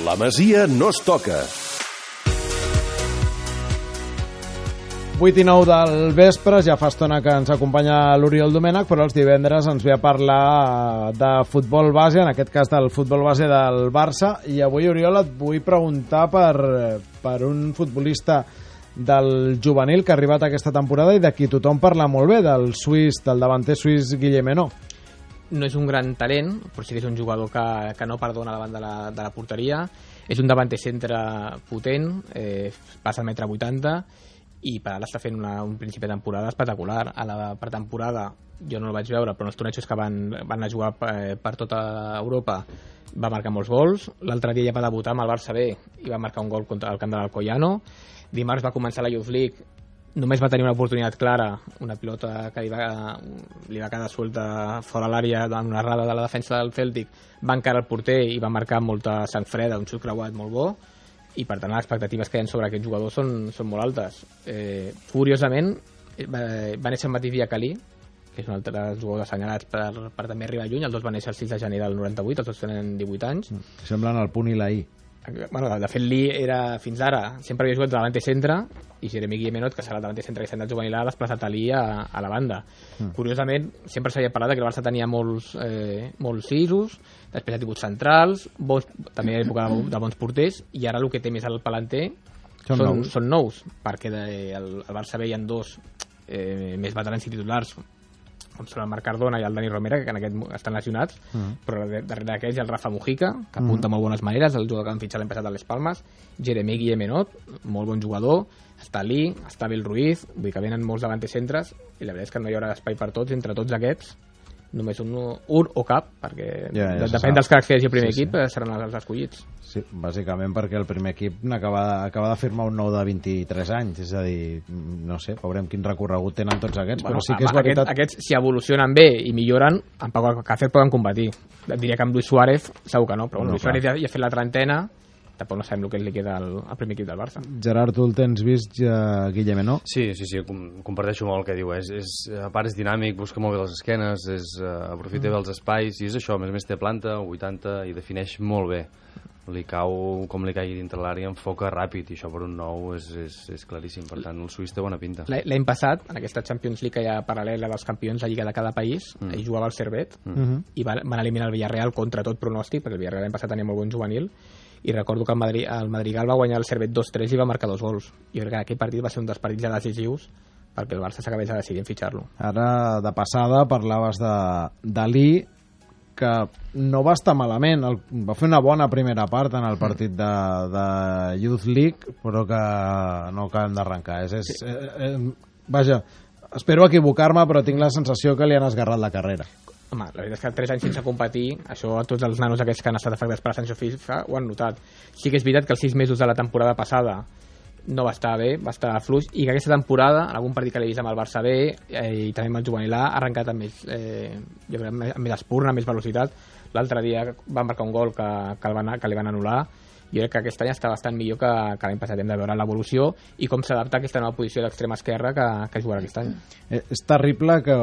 La Masia no es toca. 8:09 del vespre, ja fa estona que ens acompanya l'Oriol Domènech, però els divendres ens ve a parlar de futbol base, en aquest cas del futbol base del Barça, i avui, Oriol, et vull preguntar per un futbolista del juvenil que ha arribat aquesta temporada i de qui tothom parla molt bé, del davanter suís Guillem Henaut. No és un gran talent, però sí que és un jugador que no perdona davant de la porteria. És un davanter centre potent, passa al 1,80 m, i per ara està fent un principi de temporada espectacular. A la pretemporada jo no el vaig veure, però en els tornejos que van anar a jugar per tota Europa va marcar molts gols. L'altre dia ja va debutar amb el Barça B i va marcar un gol contra el camp de l'Alcoyano. Dimarts va començar la Youth League, només va tenir una oportunitat clara, una pilota que li va quedar suelta fora l'àrea en una errada de la defensa del Celtic, va encarar el porter i va marcar molta sang freda, un xut creuat molt bo, i per tant les expectatives que hi ha sobre aquest jugador són molt altes. Curiosament va néixer el mateix dia que Ali, que és un altre jugador assenyalats per també arribar lluny. Els dos van néixer el 6 de gener del 98, els dos tenen 18 anys. Semblen el punt i la I. Bueno, de fet, Lee era, fins ara, sempre havia jugat de davanter centre, i Jeremy Guillem Henaut, que serà el davanter centre que s'ha juvenil, ha desplaçat a Lee a la banda. Curiosament, sempre s'havia parlat que el Barça tenia molts sisos, després ha tingut centrals, també hi ha època de bons porters, i ara el que té més al palanter són nous, perquè al Barça B hi ha dos més veterans i titulars, com són el Marc Cardona i el Dani Romera, que en aquest estan lesionats, però darrere d'aquells hi ha el Rafa Mujica, que apunta molt bones maneres, el jugador que han fitxat l'any passat a les Palmes, Jeremy Guillem Henaut, molt bon jugador, està Lee, està Abel Ruiz, vull dir que venen molts davanters centres, i la veritat és que no hi haurà espai per tots, entre tots aquests, només un o cap, perquè depèn dels cracs que hi hagi al primer equip, seran els escollits. Sí, bàsicament perquè el primer equip acaba de firmar un nou de 23 anys, és a dir, no sé, veurem quin recorregut tenen tots aquests, però sí que és veritat... Aquests, si evolucionen bé i milloren, amb Pau Alcácer poden competir. Diria que amb Luis Suárez segur que no, però Luis Suárez ja ha fet la trentena, tampoc no sabem el que li queda al primer equip del Barça. Gerard, tu el tens vist, Guillem Henaut? Sí, comparteixo molt el que diu. A part és dinàmic, busca molt bé les esquenes, aprofita bé els espais, i és això, a més té planta, 80, i defineix molt bé. Li cau, com li caigui dintre l'àrea, enfoca ràpid, i això per un nou és claríssim. Per tant, el suís té bona pinta. L'any passat, en aquesta Champions League que hi ha paral·lela dels campions de Lliga de cada país, ell jugava al Servet, i van eliminar el Villarreal contra tot pronòstic, perquè el Villarreal l'any passat tenia molt bon juvenil, i recordo que el Madrigal va guanyar el Servet 2-3 i va marcar 2 gols. Jo crec que aquell partit va ser un dels partits decisius perquè el Barça s'acabés de decidir en fitxar-lo. Ara, de passada, parlaves de Lee, que no va estar malament, va fer una bona primera part en el partit de Youth League, però que no acabem d'arrencar. Vaja, espero equivocar-me, però tinc la sensació que li han esgarrat la carrera. Home, la veritat és que 3 anys sense competir, això a tots els nanos aquests que han estat afectats per la sanció FIFA ho han notat. Sí que és veritat que els 6 mesos de la temporada passada no va estar bé, va estar fluix, i que aquesta temporada, en algun partit que l'he vist amb el Barça B i també amb el juvenil A, ha arrencat amb jo crec, amb més espurna, amb més velocitat. L'altre dia va marcar un gol que li van anul·lar. Jo crec que aquest any està bastant millor que l'any passat. Hem de veure l'evolució i com s'adapta a aquesta nova posició d'extrema esquerra que jugarà aquest any. És terrible que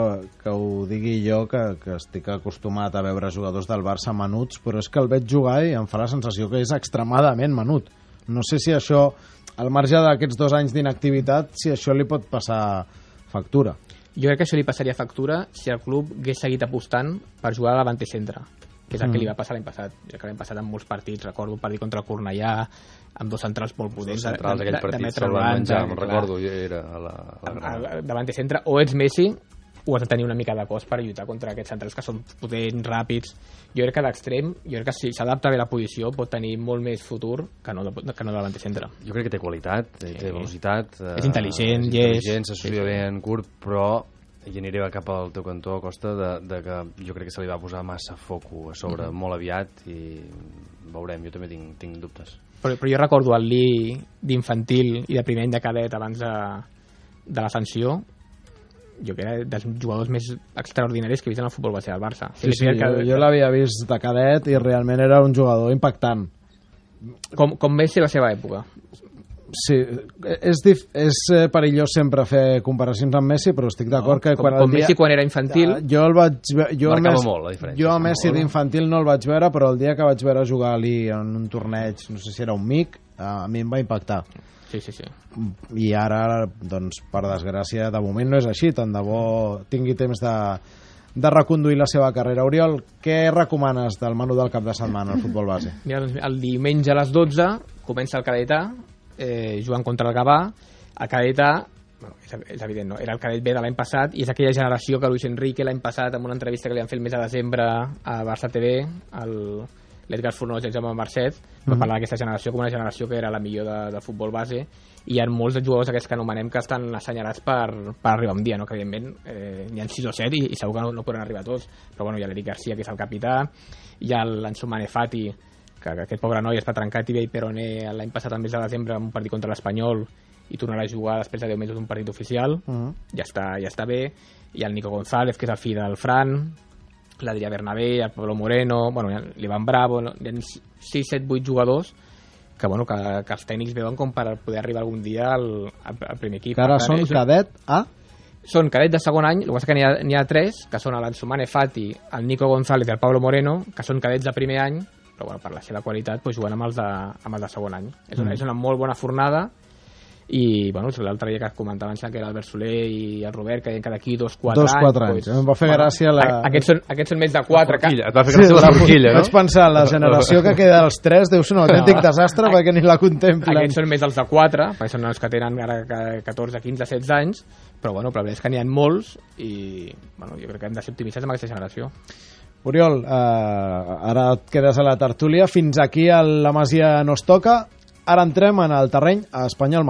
ho digui jo, que estic acostumat a veure jugadors del Barça menuts, però és que el veig jugar i em fa la sensació que és extremadament menut. No sé si això, al marge d'aquests 2 anys d'inactivitat, si això li pot passar factura. Jo crec que això li passaria factura si el club hagués seguit apostant per jugar a davanter centre, que és el que li va passar l'any passat. Jo que l'any passat en molts partits, recordo un partit contra el Cornellà, amb 2 centrals molt potents, de metre 90, me'n recordo, era a la davanter centre, o ets Messi o has de tenir una mica de cos per lluitar contra aquests centrals que són potents, ràpids. Jo crec que d'extrem, jo crec que si s'adapta bé la posició pot tenir molt més futur que no de davanter centre. Jo crec que té qualitat, té velocitat, és intel·ligent, s'associa bé en curt, però i aniré cap al teu cantó a costa de que jo crec que se li va posar massa foco a sobre molt aviat, i veurem, jo també tinc dubtes. Però jo recordo el Lee d'infantil i de primer any de cadet abans de la sanció, jo que era dels jugadors més extraordinaris que he vist en el futbol base del Barça. Sí, jo l'havia vist de cadet i realment era un jugador impactant. Com va ser la seva època? Sí, és perillós sempre fer comparacions amb Messi, però estic d'acord que com Messi quan era infantil jo el vaig marcava molt la diferència. Jo a Messi d'infantil no el vaig veure, però el dia que vaig veure jugar ali en un torneig, no sé si era un MIC, a mi em va impactar. Sí. I ara, doncs, per desgràcia, de moment no és així, tant de bo tingui temps de reconduir la seva carrera. Oriol, què recomanes del menú del cap de setmana al futbol base? Mira, doncs, el diumenge a les 12 comença el Cadetà, jugant contra el Gavà. El Cadetà, bueno, és evident, no? Era el cadet B de l'any passat i és aquella generació que Luis Enrique l'any passat, en una entrevista que li han fet el mes de desembre a Barça TV, l'Edgar Fornós i el Jaume Marcet, va parlar d'aquesta generació com una generació que era la millor de futbol base, i hi ha molts de jugadors aquests que anomenem que estan assenyalats per arribar un dia, no? Que evidentment n'hi ha 6 o 7 i segur que no poden arribar tots, però bueno, hi ha l'Eric Garcia, que és el capità, hi ha l'Ansu Fati, que aquest pobre noi està trencat i Peroné l'any passat al mes de desembre en un partit contra l'Espanyol i tornarà a jugar després de 10 mesos d'un partit oficial. Ja està bé. Hi ha el Nico González, que és el fill del Fran, l'Adrià Bernabé, el Pablo Moreno, bueno, l'Ivan Bravo, hi ha 6, 7, 8 jugadors que els tècnics veuen com per poder arribar algun dia al primer equip. Que ara són cadet A? Són cadet de segon any, el que passa que n'hi ha 3, que són l'Ansu Fati, el Nico González i el Pablo Moreno, que són cadets de primer any, però bueno, per la seva qualitat doncs, juguen amb els de segon any. És una molt bona fornada i bueno, l'altre dia que comentaven que era l'Albert Soler i el Robert, que deien que d'aquí 2-4 anys. Em va fer gràcia aquests són més de 4. Et va fer gràcia la forquilla, no? Vaig pensar, la generació que queda dels 3 deu ser un autèntic desastre perquè ni la contemplen. Aquests són més els de 4, perquè són els que tenen ara 14, 15, 16 anys, però bueno, però és que n'hi ha molts i bueno, jo crec que hem de ser optimistes amb aquesta generació. Oriol, ara et quedes a la tertúlia. Fins aquí a la Masia no es toca. Ara entrem en el terreny a Espanyol-Madrid.